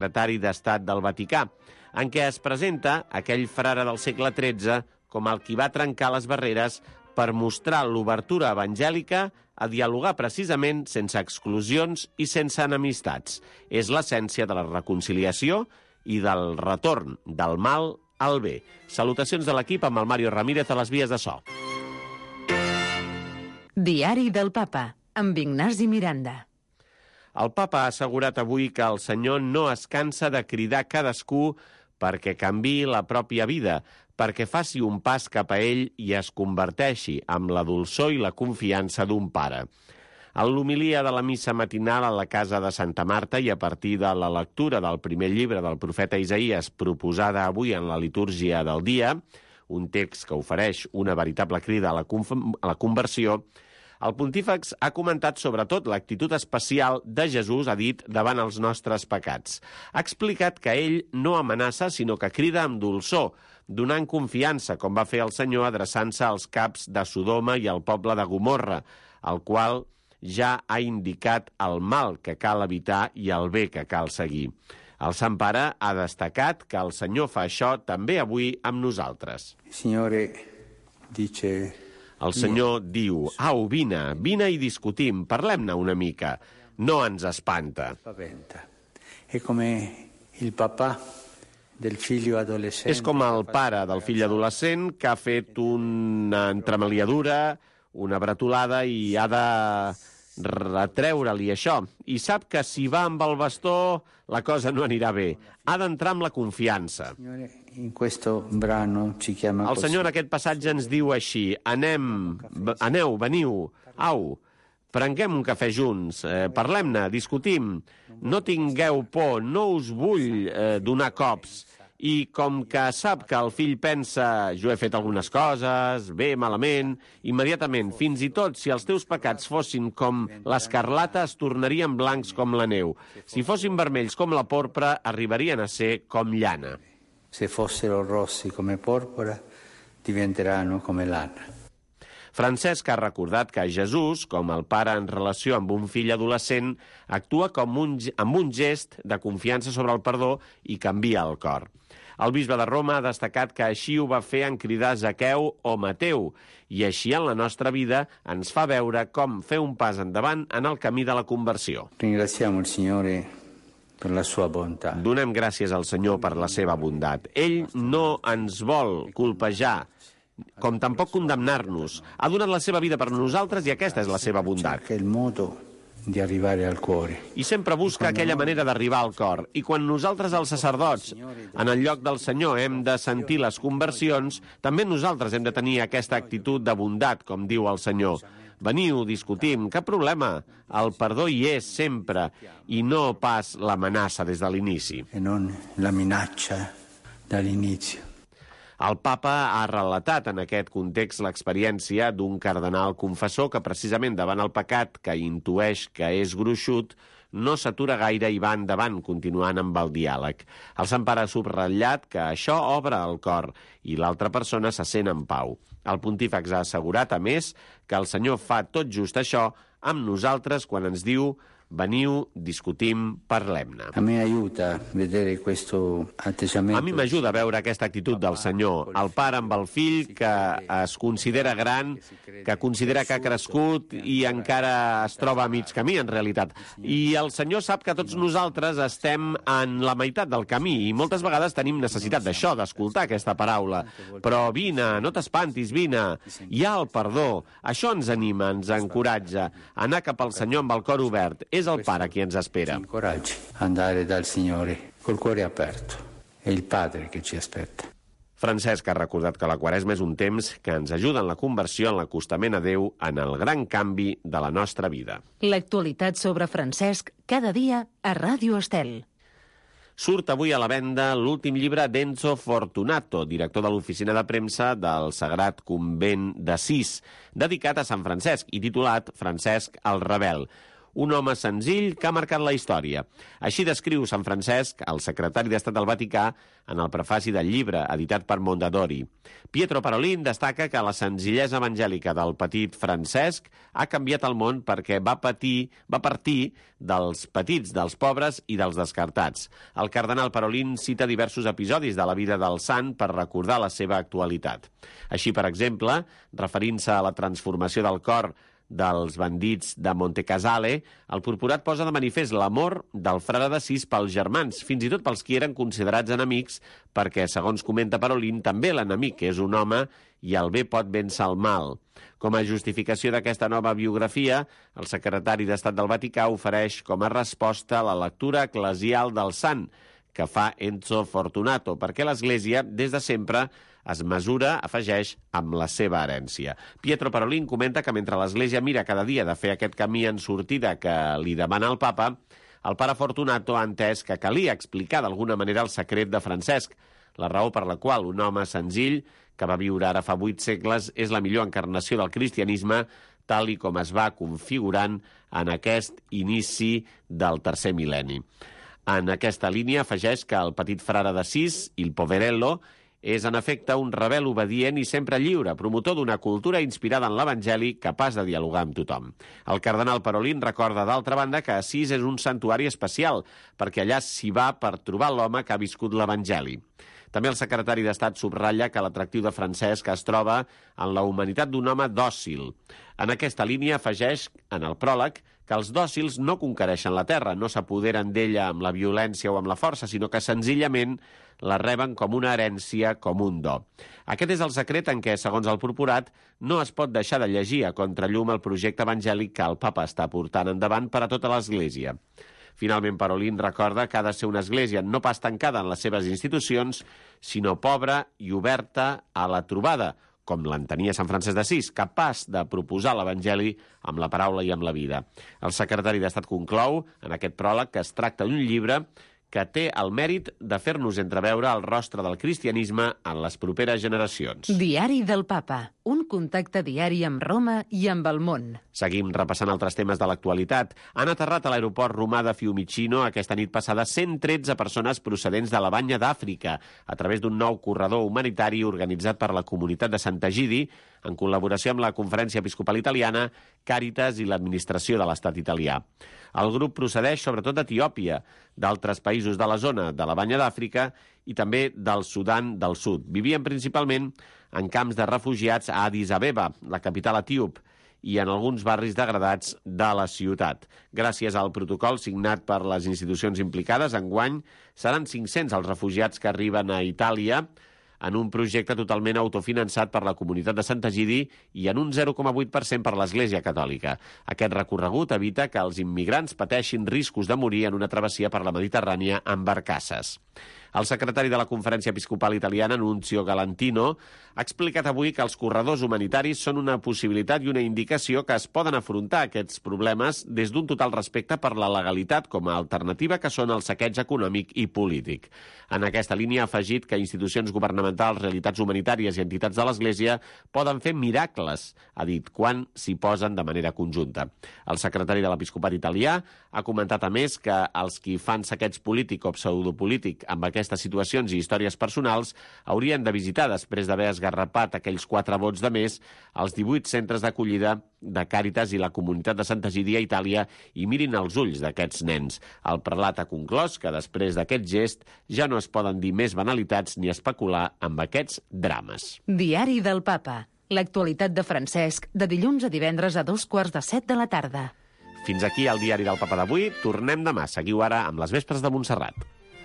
secretari d'Estat del Vaticà, en què es presenta aquell frare del segle XIII com el qui va trencar les barreres per mostrar l'obertura evangèlica a dialogar precisament sense exclusions i sense enemistats. És l'essència de la reconciliació i del retorn del mal al bé. Salutacions de l'equip amb el Mario Ramírez a les vies de so. Diari del Papa, amb Ignasi Miranda. El papa ha assegurat avui que el Senyor no es cansa de cridar cadascú perquè canviï la pròpia vida, perquè faci un pas cap a ell i es converteixi amb la dolçor i la confiança d'un pare. En l'homilia de la missa matinal a la casa de Santa Marta i a partir de la lectura del primer llibre del profeta Isaïes proposada avui en la litúrgia del dia, un text que ofereix una veritable crida a la conversió, el pontífex ha comentat sobretot l'actitud especial de Jesús, ha dit, davant els nostres pecats. Ha explicat que ell no amenaça, sinó que crida amb dolçor, donant confiança, com va fer el Senyor adreçant-se als caps de Sodoma i al poble de Gomorra, al qual ja ha indicat el mal que cal evitar i el bé que cal seguir. El Sant Pare ha destacat que el Senyor fa això també avui amb nosaltres. El Senyor diu, au, vine i discutim, parlem-ne una mica. No ens espanta. És com el pare del fill adolescent que ha fet una entremaliadura, una bretolada i ha de retreure-li això. I sap que si va amb el bastó la cosa no anirà bé. Ha d'entrar amb la confiança. El Senyor en aquest passatge ens diu així, aneu, veniu, au, prenguem un cafè junts, parlem-ne, discutim, no tingueu por, no us vull donar cops. I com que sap que el fill pensa, jo he fet algunes coses, bé, malament, immediatament, fins i tot si els teus pecats fossin com l'escarlata, es tornarien blancs com la neu. Si fossin vermells com la porpra, arribarien a ser com llana. Se fossero rossi come porpora, diventeranno come lana. Francesc ha recordat que Jesús, com el pare en relació amb un fill adolescent, actua amb un gest de confiança sobre el perdó i canvia el cor. El bisbe de Roma ha destacat que així ho va fer en cridar Zaqueu o Mateu, i així en la nostra vida ens fa veure com fer un pas endavant en el camí de la conversió. Ringraziamo il Signore per la sua bontà. Donem gràcies al Senyor per la seva bondat. Ell no ens vol colpejar, com tampoc condemnar-nos. Ha donat la seva vida per nosaltres i aquesta és la seva bondat. Che è il modo di arrivare al cuore. I sempre busca aquella manera d'arribar al cor. I quan nosaltres, els sacerdots, en el lloc del Senyor hem de sentir les conversions, també nosaltres hem de tenir aquesta actitud de bondat, com diu el Senyor. Veniu, discutim, cap problema. El perdó hi és sempre, i no pas l'amenaça des de l'inici. E non la minaccia dall'inizio. El papa ha relatat en aquest context l'experiència d'un cardenal confessor que precisament davant el pecat que intueix que és gruixut no s'atura gaire i va endavant continuant amb el diàleg. El Sant Pare ha subratllat que això obre el cor i l'altra persona se sent en pau. El pontífex ha assegurat, a més, que el Senyor fa tot just això amb nosaltres quan ens diu veniu, discutim, parlem-ne. A mi m'ajuda a veure aquesta actitud del Senyor, el pare amb el fill que es considera gran, que considera que ha crescut i encara es troba a mig camí, en realitat. I el Senyor sap que tots nosaltres estem en la meitat del camí i moltes vegades tenim necessitat d'això, d'escoltar aquesta paraula. Però vine, no t'espantis, vine. Hi ha el perdó. Això ens anima, ens encoratja. Anar cap al Senyor amb el cor obert. És el Pare qui ens espera. Incoraggi andare dal Signore col cuore aperto. È il Padre che ci aspetta. Francesc ha recordat que la Quaresma és un temps que ens ajuda en la conversió, en l'acostament a Déu, en el gran canvi de la nostra vida. L'actualitat sobre Francesc cada dia a Ràdio Estel. Surt avui a la venda l'últim llibre d'Enzo Fortunato, director de l'oficina de premsa del Sagrat Convent d'Assís, dedicat a Sant Francesc i titulat Francesc el Rebel. un home senzill que ha marcat la història. Així descriu Sant Francesc, el secretari d'Estat del Vaticà, en el prefaci del llibre, editat per Mondadori. Pietro Parolin destaca que la senzillesa evangèlica del petit Francesc ha canviat el món perquè va partir dels petits, dels pobres i dels descartats. El cardenal Parolin cita diversos episodis de la vida del sant per recordar la seva actualitat. Així, per exemple, referint-se a la transformació del cor dels bandits de Montecasale, el purpurat posa de manifest l'amor del frare d'Assís pels germans, fins i tot pels qui eren considerats enemics, perquè, segons comenta Parolin, també l'enemic és un home i el bé pot vèncer el mal. Com a justificació d'aquesta nova biografia, el secretari d'Estat del Vaticà ofereix com a resposta la lectura eclesial del sant, que fa Enzo Fortunato, perquè l'Església, des de sempre, es mesura, afegeix, amb la seva herència. Pietro Parolin comenta que mentre l'Església mira cada dia de fer aquest camí en sortida que li demana el papa, el pare Fortunato ha entès que calia explicar d'alguna manera el secret de Francesc, la raó per la qual un home senzill, que va viure ara fa 8 segles, és la millor encarnació del cristianisme, tal i com es va configurant en aquest inici del tercer mil·lenni. En aquesta línia afegeix que el petit frare d'Assís, il Poverello, és en efecte un rebel obedient i sempre lliure, promotor d'una cultura inspirada en l'Evangeli, capaç de dialogar amb tothom. El cardenal Parolin recorda, d'altra banda, que Assís és un santuari especial, perquè allà s'hi va per trobar l'home que ha viscut l'Evangeli. També el secretari d'Estat subratlla que l'atractiu de Francesc es troba en la humanitat d'un home dòcil. En aquesta línia afegeix, en el pròleg, que els dòcils no conquereixen la terra, no s'apoderen d'ella amb la violència o amb la força, sinó que senzillament la reben com una herència, com un do. Aquest és el secret en què, segons el purpurat, no es pot deixar de llegir a contrallum el projecte evangèlic que el papa està portant endavant per a tota l'Església. Finalment, Parolin recorda que ha de ser una església no pas tancada en les seves institucions, sinó pobra i oberta a la trobada, com l'entenia Sant Francesc d'Assís, capaç de proposar l'Evangeli amb la paraula i amb la vida. El secretari d'Estat conclou, en aquest pròleg, que es tracta d'un llibre que té el mèrit de fer-nos entreveure el rostre del cristianisme en les properes generacions. Diari del Papa, un contacte diari amb Roma i amb el món. Seguim repassant altres temes de l'actualitat. Han aterrat a l'aeroport romà de Fiumicino aquesta nit passada 113 persones procedents de la Banya d'Àfrica a través d'un nou corredor humanitari organitzat per la comunitat de Sant'Egidi en col·laboració amb la Conferència Episcopal Italiana, Càritas i l'administració de l'Estat italià. El grup procedeix sobretot d'Etiòpia, d'altres països de la zona de la Banya d'Àfrica i també del Sudan del Sud. Vivien principalment en camps de refugiats a Addis Abeba, la capital etíop, i en alguns barris degradats de la ciutat. Gràcies al protocol signat per les institucions implicades, enguany seran 500 els refugiats que arriben a Itàlia en un projecte totalment autofinançat per la comunitat de Sant'Egidi i en un 0,8% per l'Església Catòlica. Aquest recorregut evita que els immigrants pateixin riscos de morir en una travessia per la Mediterrània amb barcasses. El secretari de la Conferència Episcopal Italiana, Nunzio Galantino, ha explicat avui que els corredors humanitaris són una possibilitat i una indicació que es poden afrontar aquests problemes des d'un total respecte per la legalitat com a alternativa que són el saqueig econòmic i polític. En aquesta línia ha afegit que institucions governamentals, realitats humanitàries i entitats de l'Església poden fer miracles, ha dit, quan s'hi posen de manera conjunta. El secretari de l'Episcopat italià ha comentat a més que els qui fan saqueig polític o pseudopolític amb aquestes situacions i històries personals haurien de visitar, després d'haver esgarrapat aquells 4 vots de més, els 18 centres d'acollida de Càritas i la comunitat de Sant'Egidi a Itàlia i mirin els ulls d'aquests nens. El prelat ha conclòs que després d'aquest gest ja no es poden dir més banalitats ni especular amb aquests drames. Diari del Papa. L'actualitat de Francesc, de dilluns a divendres a 2:15 de la tarda. Fins aquí el Diari del Papa d'avui. Tornem demà. Seguiu ara amb les Vespres de Montserrat.